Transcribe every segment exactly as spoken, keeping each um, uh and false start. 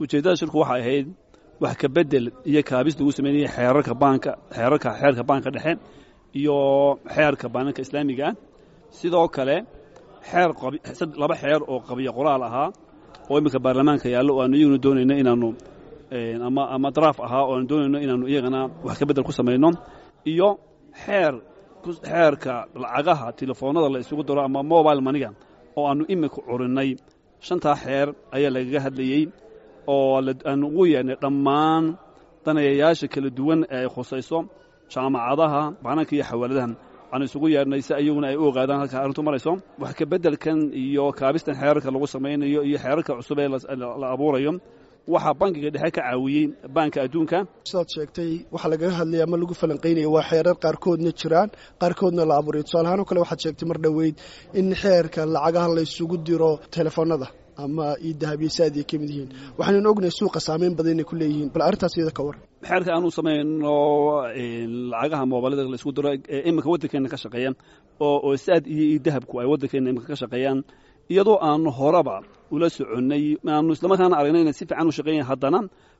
Ujeeddada shirku waxay ahayd wax ka bedel iyo kaabis lagu sameynaya xeerarka baanka, xeerarka xeerka baanka dhexe iyo xeerka baananka islaamiga ah. Sidoo kale xeer laba xeer oo qabiyo qoraal ahaa oo iminka baarlamaanka yaallo oo aanu iyaguna doonayno inaanu ama ama daraaf ahaa oo aanu doonayno inaanu iyagana wax ka bedel ku samayno, iyo xeer xeerka lacagaha telefoonada la isugu daro ama mobile money-ga oo aanu iminka curinnay. Shantaa xeer ayaa lagaga hadlayey oo aanu ugu yeernay dhammaan daneeyayaasha kala duwan ee ay khusayso, jaamacadaha, baananka iyo xawaaladaha waxaanu isugu yeernay si iyaguna ay u ogaadaan halka arrintu marayso. Wax ka beddelkan iyo kaabistan xeerarka lagu samaynayo iyo xeerarka cusub ee la abuurayo waxaa Bankiga Dhexe ka caawiyey Baanka Adduunka. Sidaad sheegtay, waxaa lagaga hadlaya ama lagu falanqeynaya waa xeerar qaarkoodna jiraan, qaarkoodna la abuurayo. Tusaale ahaan oo kale, waxaad sheegtay mar dhoweyd in xeerka lacagaha laysugu diro telefoonada ama eDahab iyo Zaad ay ka mid yihiin. Waxaynu ognahay suuqa saameyn badan inay ku leeyihiin. Bal arrintaas iyada ka war. Xeerka aanu samayno lacagaha moobilada la isku diro ee iminka waddankeena ka shaqeeya oo oo Zaad iyo eDahabku ay waddankeena iminka ka shaqeeyaan, iyadoo aanu horeba ula soconnay, aanu islamarkaana aragnay inay si fiican u shaqeeyan, haddana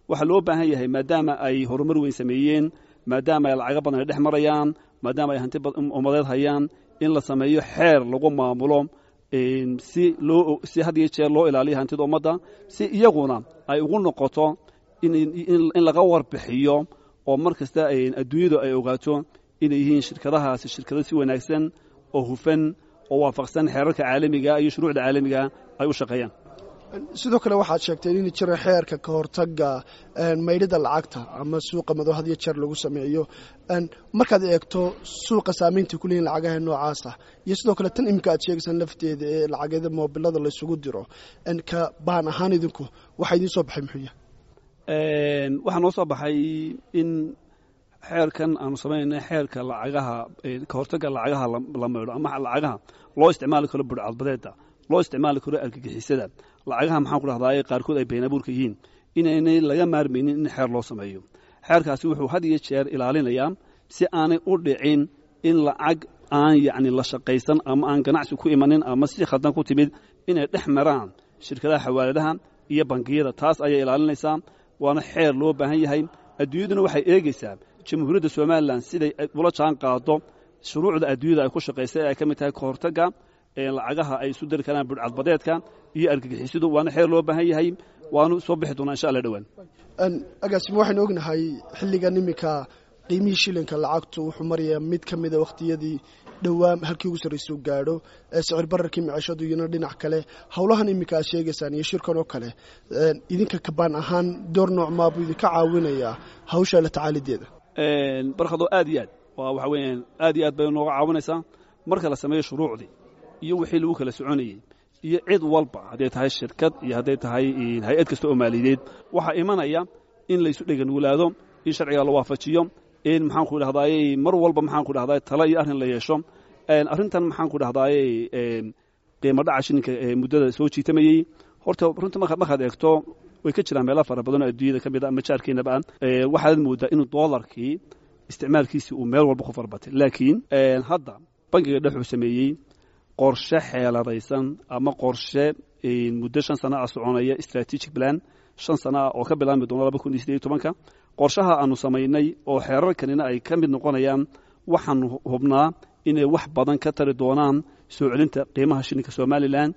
waxaa loo baahan yahay, maadaama ay horumar weyn sameeyeen, maadaama ay lacago badan ay dhex marayaan, maadaama ay hanti ummadeed hayaan, in la sameeyo xeer lagu maamulo si loo si had iyo jeer loo ilaaliyo hantida ummadda, si iyaguna ay ugu noqoto in in laga warbixiyo oo mar kasta adduunyadu ay ogaato inay yihiin shirkadahaasi shirkado si wanaagsan oo hufan oo waafaqsan xeerarka caalamiga iyo shuruucda caalamiga ay u shaqeeyaan. Sidoo kale waxaad sheegteen in jira xeerka ka hortagga maydhida lacagta ama suuqa madow had iyo jeer lagu sameeyo. Markaad eegto suuqa saameynta ku leeyihin lacagaha noocaasa iyo sidoo kale tan iminka aad sheegaysaan lafteeda ee lacagyada moobilada laysugu diro, ka baan ahaan idinku waxaa idiin soo baxay muxuu yahay? Waxaa noo soo baxay in xeerkan aanu samaynayna, xeerka lacagaha ka hortagga lacagaha la maydho ama lacagaha loo isticmaali karo budhcadbadeeda, loo isticmaali karo argagixisada, lacagaha, maxaan ku dhahdaay, qaarkood ay been abuurka yihiin, inaynay laga maarmaynin in xeer loo sameeyo. Xeerkaasi wuxuu had iyo jeer ilaalinayaa si aanay u dhicin in lacag aan yacni la shaqaysan ama aan ganacsi ku imanin ama si khaldan ku timid inay dhex maraan shirkadaha xawaaladaha iyo bangiyada. Taas ayay ilaalinaysaa, waana xeer loo baahan yahay. Adduunyaduna waxay eegaysaa Jamhuuriyadda Somaliland siday ula jaan qaado shuruucda adduunyada ay ku shaqaysay ee ay ka mid tahay kahortagga lacagaha ay isu diri karaan budhcadbadeedka iyo argagixisadu. Waana xeer loo baahan yahay, waanu soo bixi doonaa insha Allah dhowaan. Agaasimo, waxaynu ognahay xilligan iminka qiimihii shilinka lacagtu wuxuu marayaa mid ka mida wakhtiyadii dhowaa halkii ugu sarraysuu gaadho, sicir bararkii maciishadu iyona dhinac kale. Howlahan iminka aad sheegaysaan iyo shirkan oo kale, idinka ka baan ahaan door nooc maabuu idinka caawinayaa hawsha la tacaalideeda? Barkhado, aad iyo aad waa waxa weeyaan aad iyo aad bay nooga caawinaysaa marka la sameeyo shuruucdii iyo wixii lagu kala soconayey iyo cid walba, hadday tahay shirkad iyo hadday tahay hay-ad kasta oo maaliyadeed, waxaa imanaya in laysu dheganugulaado, in sharciga la waafajiyo, in, maxaan ku dhahdaayey, mar walba, maxaan ku dhahdaay, tala iyo arrin la yeesho. Arrintan, maxaan ku dhahdaayey, qiimo dhaca shilinka ee muddada soo jiitamayey, horta runta markaad eegto way ka jiraan meelo fara badan oo adduunyada ka mid a ama jaarkeenaba ah. Waxaad moodaa inuu doolarkii isticmaalkiisii uu meel walba ku farbatay, laakiin hadda Bankiga Dhex sameeyey qorshe xeeladaysan ama qorshe muddo shan sana ah soconaya, strategic plan shan sana ah oo ka bilaabmi doona laba kun iyo sideed iyo tobanka. Qorshaha aanu samaynay oo xeerarkanina ay ka mid noqonayaan, waxaanu hubnaa inay wax badan ka tari doonaan soo celinta qiimaha shilinka Somaliland.